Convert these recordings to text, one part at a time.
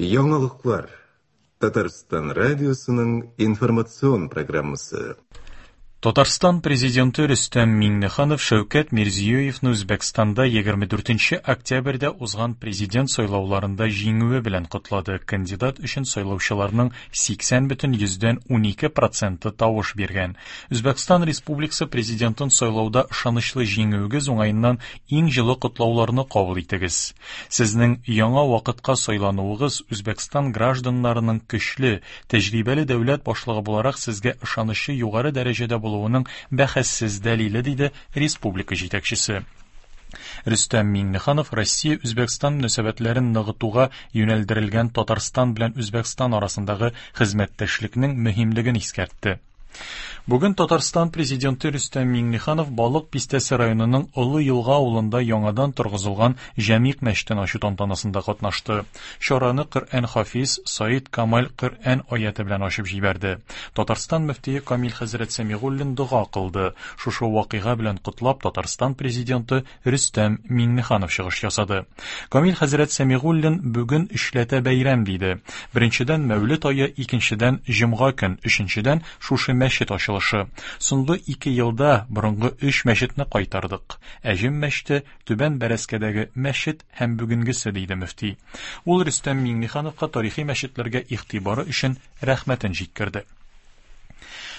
Яңалыклар. Татарстан радиосының информацион программасы. Татарстан Президенты Рөстәм Миңнеханов Шәүкәт Мирзиёевны Үзбәкстанда 24 октябрьдә узган президент сайлауларында җиңүе белән котлады. Кандидат өчен сайлаучыларның 80,12 проценты тавыш биргән. Үзбәкстан Республикасы Президентын сайлауда ышанычлы җиңүегез уңаеннан иң җылы котлауларны кабул итегез. Сезнең яңа вакытка сайлануыгыз Үзбәкстан гражданнарының көчле, тәҗрибәле дәүләт башлыгы буларак сезгә ышанычы югары дәрәҗәдә булуының бәхәссез дәлиле, диде республика җитәкчесе. Рөстәм Миңнеханов Россия-Үзбәкстан мөнәсәбәтләрен ныгытуга юнәлдерелгән Татарстан белән Үзбәкстан арасындагы хезмәттәшлекнең мөһимлеген искәртте. Бүген Татарстан Президенты Рөстәм Миңнеханов Балык Бистәсе районының Олы Елга авылында яңадан торгызылган Җәмигъ мәчетен ачу тантанасында катнашты. Чараны Коръән хафиз Саид Камаль Коръән аяте белән ачып җибәрде. Татарстан мөфтие Камил хәзрәт Сәмигуллин дога кылды. Шушы вакыйга белән котлап Татарстан Президенты Рөстәм Миңнеханов чыгыш ясады. Камил хәзрәт Сәмигуллин бүген өчләтә бәйрәм диде. Беренчедән Мәүлет ае, икенчедән җомга көн, өченчедән шушы мәчет ачылышы. Соңгы ике елда борынгы өч мәчетне кайтардык. Әҗем мәчете, Түбән Бәрәскәдәге мәчет һәм бүгенгесе, диде мөфти. Ул Рөстәм Миңнехановка тарихи мәчетләргә игътибары өчен рәхмәтен җиткерде.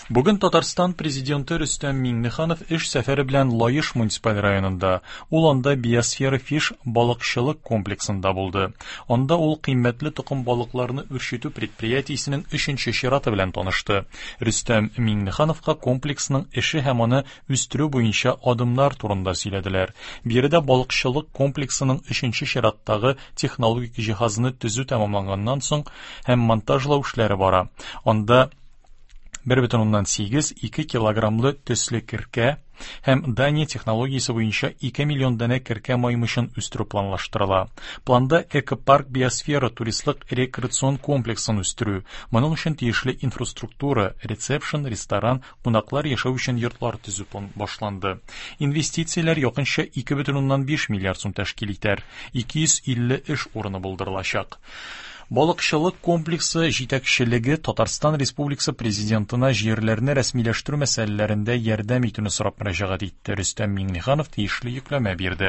Бүген Татарстан Президенты Рөстәм Миңнеханов эш сәфәре белән Лаеш муниципаль районында. Ул анда Биосфера Фиш балыкчылык комплексында булды. Анда ул кыйммәтле токым балыкларны үрчетү предприятиесенең өченче чираты белән танышты. Рөстәм Миңнехановка комплексның эше һәм аны үстерү буенча адымнар турында сөйләделәр. Биредә балыкчылык комплексының өченче чираттагы технологик җиһазны төзү тәмамланганнан соң һәм монтажлау эшләре бара. Анда 1,8 2 килограммлы төсле керкә һәм Дания технологиясе буенча 2 миллион данә керкә маймычын үстерү планлаштырыла. Планда экопарк биосфера туристлык рекреацион комплексын үстерү. Моның өчен тиешле инфраструктура, ресепшн, ресторан, кунаклар яшәү өчен йортлар төзү башланды. Инвестицияләр якынча 2,5 миллиард сум тәшкил итәр. 250 эш урыны булдырылачак. Балыкчылык комплексы җитәкчелеге Татарстан Республикасы Президентына җирләрне рәсмиләштерү мәсьәләләрендә ярдәм итүне сорап мөрәҗәгать итте. Рөстәм Миңнеханов тиешле йөкләмә бирде.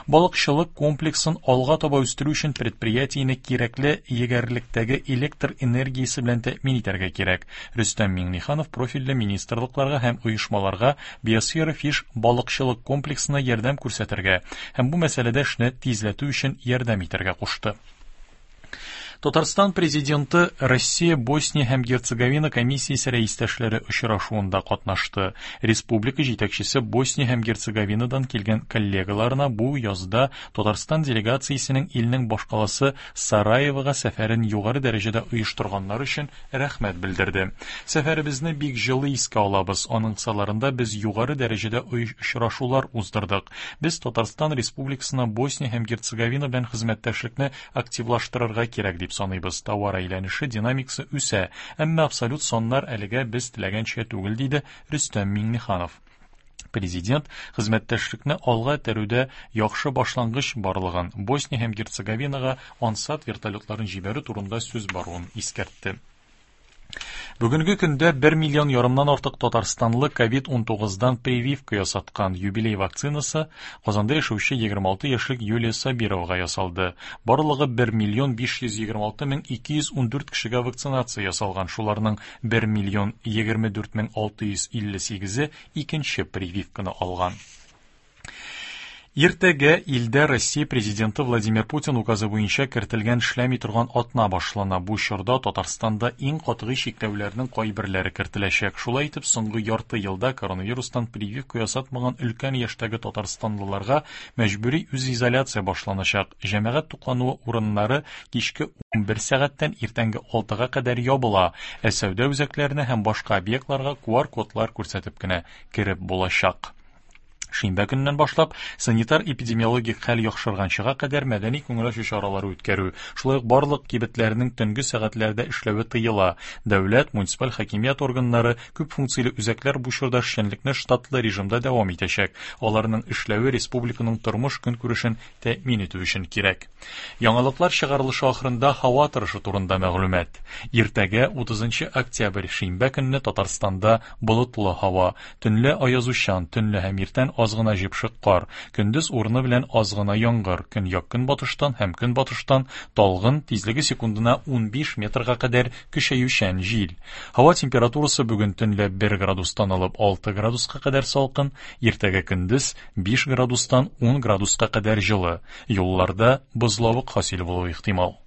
Балыкчылык комплексын алга таба үстерү өчен предприятиене кирәкле егәрлектәге электр энергиясе белән тәэмин итәргә кирәк. Рөстәм Миңнеханов профильле министрлыкларга һәм оешмаларга Биосфера Фиш балыкчылык комплексына ярдәм күрсәтергә һәм бу мәсьәләдә эшне тизләтү өчен ярдәм итәргә кушты. Татарстан Президенты Россия, Босния һәм Герцеговина комиссиясе рәистәшләре очрашуында катнашты. Республика җитәкчесе Босния һәм Герцеговинадан килгән коллегаларына бу язда Татарстан делегациясенең илнең башкаласы Сараевога сәфәрен югары дәрәҗәдә оештырганнар өчен рәхмәт белдерде. Сәфәребезне бик җылы искә алабыз. Аның кысаларында без югары дәрәҗәдә очрашулар уздырдык. Без Татарстан Республикасына Босния һәм Герцеговина белән хезмәттәшлекне активлаштырырга кирәк дип саныйбыз. Товар әйләнеше динамикасы үсә, әмма абсолют саннар әлегә без теләгәнчә түгел, диде Рөстәм Миңнеханов. Президент хезмәттәшлекне алга этәрүдә яхшы башлангыч барлыгын, Босния һәм Герцеговинага Ансат вертолетларын җибәрү турында сүз баруын искәртте. Бүгенге көндә 1 миллион ярымнан артык татарстанлы ковид-19дан прививка ясаткан. Юбилей вакцинасы Казанда яшәүче 26 яшьлек Юлия Сабировага ясалды. Барлыгы 1 миллион 526 мең 214 кешегә вакцинация ясалган. Шуларның 1 миллион 24 мең 658-е икенче прививканы алган. Иртәгә илдә Россия Президенты Владимир Путин указы буенча кертелгән эшләми торган атна башлана. Бу чорда Татарстанда иң катгый чикләүләрнең кайберләре кертеләчәк. Шулай итеп, соңгы ярты елда коронавирустан прививка ясатмаган өлкән яшьтәге татарстанлыларга мәҗбүри үзизоляция башланачак. Җәмәгать туклануы урыннары кичке 11 сәгатьтән иртәнге 6-га кадәр ябыла, ә сәүдә үзәкләренә һәм башка объектларга QR-кодлар күрсәтеп кенә кереп булачак. Шимбә көненнән башлап, санитар-эпидемиологик хәл яхшырганчыга кадәр мәдәни күңел ачу чаралары үткәрү, шулай ук барлык кибетләрнең төнге сәгатьләрдә эшләве тыела. Дәүләт, муниципаль хакимият органнары, күп функцияле үзәкләр бу чорда эшчәнлекне штатлы режимда дәвам итәчәк. Аларның эшләве республиканың тормыш-көнкүрешен тәэмин итү өчен кирәк. Яңалыклар чыгарылышы ахырында һава торышы турында мәгълүмат. Иртәгә 30 октябрь шимбә көнне Татарстанда болытлы һава, төнлә аязучан, төнлә һәм иртән аз гына җепшек кар, көндез урыны белән аз гына яңгыр, көньяк-көнбатыштан һәм көнбатыштан талгын, тизлеге секундына 15 метрга кадәр көчәючән җил. Һава температурасы бүген төнлә 1 градустан алып 6 градуска кадәр салкын, иртәгә көндез 5 градустан 10 градуска кадәр җылы. Юлларда бозлавык хасил булуы ихтимал.